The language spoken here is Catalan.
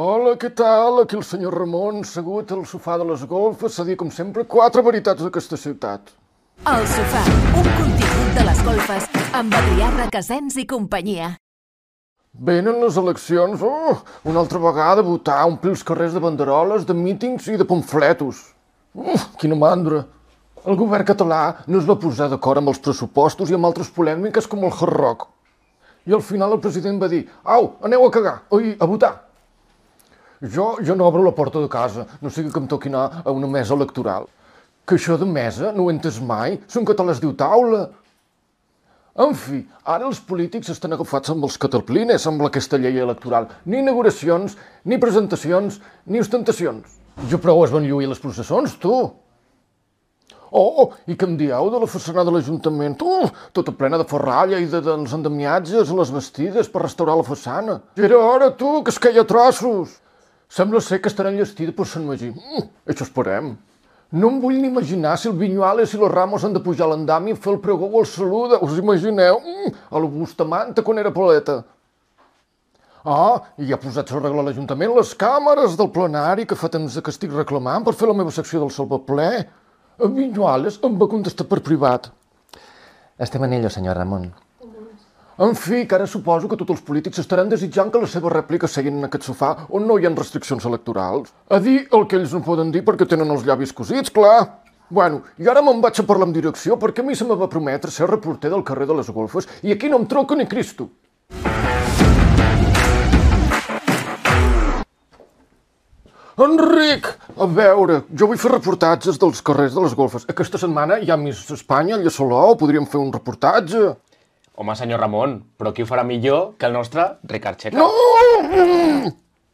Hola, què tal? Aquí el senyor Ramon, segut al sofà de les golfes, a dir, com sempre, 4 veritats d'aquesta ciutat. El sofà, un contingut de les golfes, amb Adrià Requesens i companyia. Venen les eleccions, una altra vegada a votar, omplir els carrers de banderoles, de mítings i de pamfletos. Quina mandra. El govern català no es va posar d'acord amb els pressupostos i amb altres polèmiques com el Hard Rock. I al final el president va dir, au, aneu a cagar, oi, a votar. Jo no obro la porta de casa, no sigui que em toqui anar a una mesa electoral. Que això de mesa no ho he entès mai, són catalans diu taula. En fi, ara els polítics estan agafats amb els cataplines, amb aquesta llei electoral. Ni inauguracions, ni presentacions, ni ostentacions. Jo prou es van lluir les processons, tu. I què em dieu de la façana de l'Ajuntament? Tota plena de ferralla i dels endemiatges a les bastides per restaurar la façana. Ja era hora, tu, que es queia a trossos. Sembla ser que estarà enllestida per Sant Magí. Això esperem. No em vull ni imaginar si el Viñuales i los Ramos han de pujar a l'andami i fer el pregó o el saluda. Us imagineu? A la Bustamante quan era paleta. I ja posats a arreglar l'Ajuntament les càmeres del plenari que fa temps que estic reclamant per fer la meva secció del Salvaplè. El Viñuales em va contestar per privat. Estem en ello, senyor Ramon. En fi, que ara suposo que tots els polítics estaran desitjant que la seva rèplica seguin en aquest sofà on no hi ha restriccions electorals. A dir el que ells no poden dir perquè tenen els llavis cosits, clar. Bueno, i ara me'n vaig a parlar amb direcció perquè a mi se me va prometre ser reporter del carrer de les golfes i aquí no em troca ni Cristo. Enric! A veure, jo vull fer reportatges dels carrers de les golfes. Aquesta setmana hi ha Miss Espanya, allà a Salou, podríem fer un reportatge. Home, senyor Ramon, però qui ho farà millor que el nostre Ricard Checa? No!